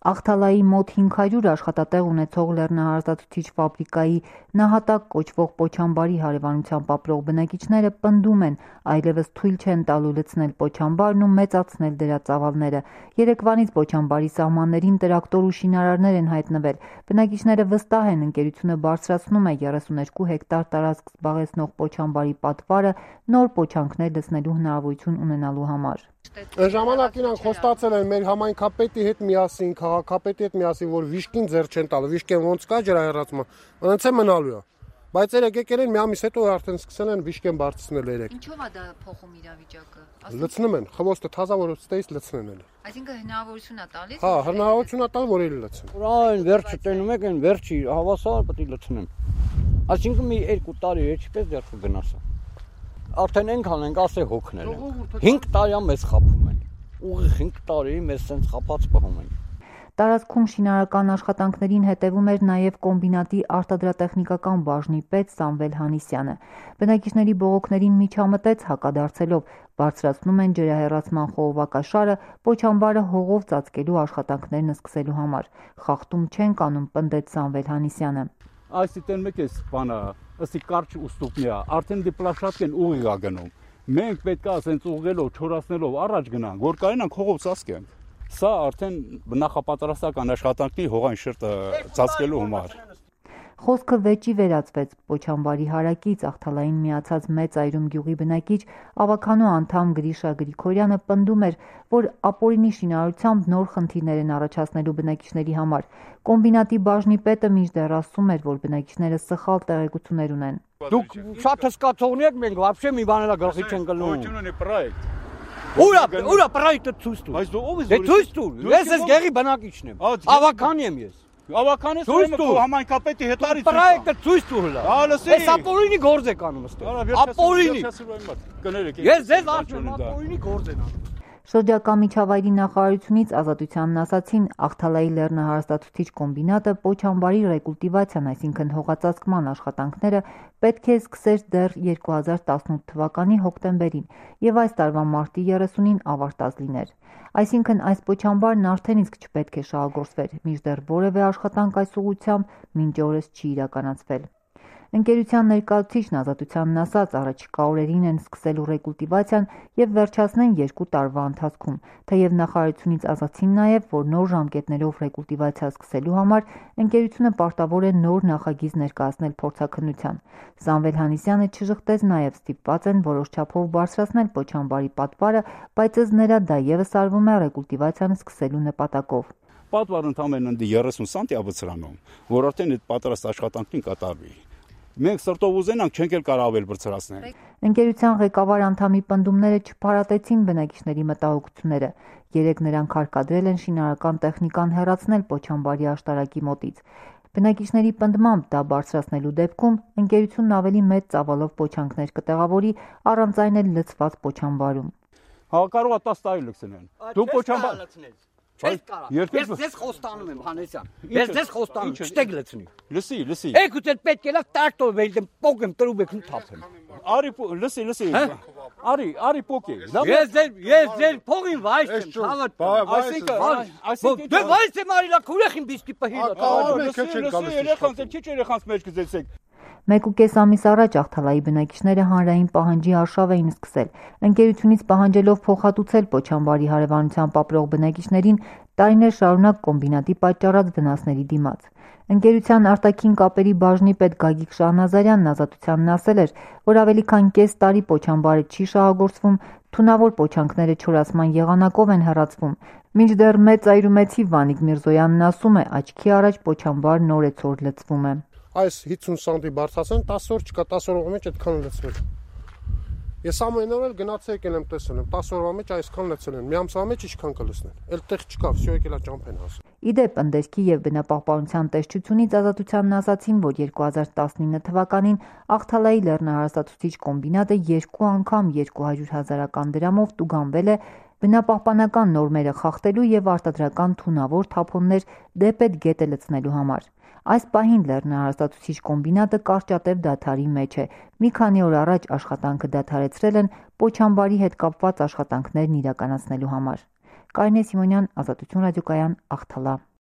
Աղթալայի մոտ 500 աշխատատեղ ունեցող լեռնահարստացուցիչ ֆաբրիկայի նահատակ կոչվող Պոչամբարի հարևանությամբ ապրող բնակիչները պնդում են, այլևս թույլ չեն տալու լցնել Պոչամբարն ու մեծացնել դրա ծավալները։ Երեկվանից Պոչամբարի սահմաններին տրակտոր ու շինարարներ են հայտնվել։ Բնակիչները վստահ են, ընկերությունը բարձրացնում է 32 հեկտար տարածք զբաղեցնող Պոչամբարի պատվարը նոր պոչանքներ լցնելու հնարավորություն ունենալու համար։ Ժամանակ իրանք խոստացել են մեր համայնքապետի հետ միասին, քաղաքապետի հետ միասին, որ վիշկին ձեռ չեն տալու, վիշկեն ոնց կա ջրահեռացումը, ոնց է մնալու է։ Բայց երեք եկել են մի ամիս հետո արդեն սկսել են վիշկեն բարձրացնել երեք։ Ինչով է դա փոխում իրավիճակը։ Լցնում են, խոստը թազա որ ստեից լցնեն էլ։ Այսինքն հնարավորություն է տալիս։ Հա, հնարավորություն է տալ, որ էլ լցեն։ Այն վերջը տենում եք, այն վերջի հավասար պետք է լցնեմ։ Այսինքն մի 2 տարի է, չպես դեռ կգնասա։ Արդեն այնքան ենք ասե հոգնել ենք։ 5 տարի մեզ խափում են։ Ուղիղ 5 տարի մեզ սենց խափած պահում են։ Տարածքում շինարարական աշխատանքներին հետևում էր նաև կոմբինատի արտադրատեխնիկական բաժնի պետ Սամվել Հանիսյանը։ Բնակիչների բողոքներին միջամտեց հակադարձելով, բարձրացնում են ջրահեռացման խողովակաշարը Պոչամբարը հողով ծածկելու աշխատանքներն սկսելու համար։ Խախտում չեն կանում, պնդեց Սամվել Հանիսյանը։ Այսինքն մեկ է բանը, ըսի կարճ ուստուկնի է, արդեն դիպլաշատկեն ուղիղ է գնում։ Մենք պետք է ասենց ուղղելով, չորացնելով առաջ գնանք, որ կարենանք հողով ծածկենք։ Սա արդեն նախապատրաստական աշխատանքի հողային շերտը ծածկելու համար։ Խոսքը վեճի վերածվեց։ Պոչամբարի հարակից Աղթալային միացած Մեծ Այրում գյուղի բնակիչ ավականու անդամ Գրիշա Գրիգորյանը պնդում էր, որ ապօրինի շինարարությամբ նոր խնդիրներ են առաջացնելու բնակիչների համար։ Կոմբինատի բաժնի պետը մինչդեռ ասում էր, որ բնակիչները սխալ տեղեկություններ ունեն։ Դուք շատ հսկացողներ եք, մենք вообще մի բան էլ գլխի չեն գլնում։ Ուրա պրոյեկտը ցույց տուր։ Բայց դու ով ես։ Դե ցույց տուր։ Ես գեղի բնակիչն եմ։ Ավական եմ ես։ Ավական ես ուրեմն համայնքապետի հետ արի։ Պրոյեկտը ցույց տուր հլա։ Այս ապօրինի գործ եք անում ըստեղ։ Ապօրինի։ Ես ձեզ ասում եմ, ապօրինի գործ են անում։ Շրջակա միջավայրի նախարարությունից Ազատությանն ասացին, Աղթալայի լեռնահարստացուցիչ կոմբինատը Պոչամբարի ռեկուլտիվացիան, այսինքն հողածածկման աշխատանքները պետք է սկսեր դեռ 2018 թվականի հոկտեմբերին եւ այս տարվա մարտի 30-ին ավարտած լիներ։ Այսինքն այս Պոչամբարն արդեն իսկ չպետք է շահագործվեր, մինչդեռ որևէ աշխատանք այս ուղղությամբ մինչ օրս չի իրականացվել։ Ընկերության ներկայացուցիչն Ազատությանն ասաց, առաջիկա օրերին են սկսելու ռեկուլտիվացիան եւ վերջացնեն 2 տարվա ընթացքում, թեև նախարարությունից ասացին նաեւ, որ նոր ժամկետներով ռեկուլտիվացիա սկսելու համար ընկերությունը պարտավոր է նոր նախագիծ ներկայացնել փորձաքննության։ Սամվել Հանիսյանը չժխտեց նաեւ ստիպված են որոշ չափով բարձրացնել Պոչամբարի պատվարը, բայց ըստ նրա դա եւս արվում է ռեկուլտիվացիան սկսելու նպատակով։ Պատվարը ընդամենը 30 սանտի է բարձրանում, որ արդեն այդ պատրաստ աշխատանքին կատարվի։ Մենք սրտով ուզենանք, չենք էլ կարող ավել բարձրացնել։ Ընկերության ղեկավար անդամի պնդումները չփարատեցին բնակիչների մտահոգությունները։ Երեկ նրանք հարկադրել են շինարարական տեխնիկան հեռացնել Պոչամբարի աշտարակի մոտից։ Բնակիչների պնդմամբ դա բարձրացնելու դեպքում ընկերությունն ավելի մեծ ծավալով պոչանքներ կտեղավորի առանց այն էլ լցված Պոչամբարում։ Հա կարող է 10 տարի լցնեն։ Դու Պոչամբար Ես ձեզ խոստանում եմ, Հանեսյան։ Ես ձեզ խոստանում, չտեք լցնի։ Լսի։ Եք ու դեռ պետք է լավ տրակտոր վելդեմ, պոկեմ, տրուբեք ու թափեմ։ Լսի։ Արի պոկի։ Ես ձեր փողին վայս եմ, հավատ։ Այսինքն դե վայս եմ արիլա քուրեխին բիստի պահիլա։ Երեխանց մեջ գծեցեք։ 1.5 ամիս առաջ Աղթալայի բնակիչները հանրային պահանջի արշավ էին սկսել։ Ընկերությունից պահանջելով փոխհատուցել Պոչամբարի հարևանությամբ ապրող բնակիչներին տարիներ շարունակ կոմբինատի պատճառած վնասների դիմաց։ Ընկերության արտաքին կապերի բաժնի պետ Գագիկ Շահնազարյանն Ազատությանն ասել էր, որ ավելի քան կես տարի Պոչամբարը չի շահագործվում, թունավոր պոչանքները չորացման եղանակով են հեռացվում։ Մինչդեռ Մեծ Այրումեցի Վանիկ Միրզոյանն ասում է, աչքի առաջ Պոչամբարն օրեցօր լցվում է։ Այս 50 սանտի բարձրացան, 10 օր չկա, 10 օրվա մեջ այդքան լցվել։ Ես ամեն օր էլ գնացել եկել եմ տեսել եմ, 10 օրվա մեջ այսքան լցել են, մի ամսվա մեջ ինչքան կլցնեն։ Էլ տեղ չկա, всё եկել է ճամփեն հասել։ Իդեպ ընդերքի եւ բնապահպանության տեսչությունից Ազատությանն ասացին, որ 2019 թվականին Աղթալայի լեռնահարստացուցիչ կոմբինատը 2 անգամ 200,000 դրամով տուգանվել է բնապահպանական նորմերը խախտելու եւ արտադրական թունավոր թափոններ դեպետ գետը լցնելու համար։ Այս պահին լեռնահարստացուցիչ կոմբինատը կարճատև դադարի մեջ է։ Մի քանի օր առաջ աշխատանքը դադարեցրել են Պոչամբարի հետ կապված աշխատանքներն իրականացնելու համար։ Կարինե Սիմոնյան, Ազատություն ռադիոկայան, Աղթալա։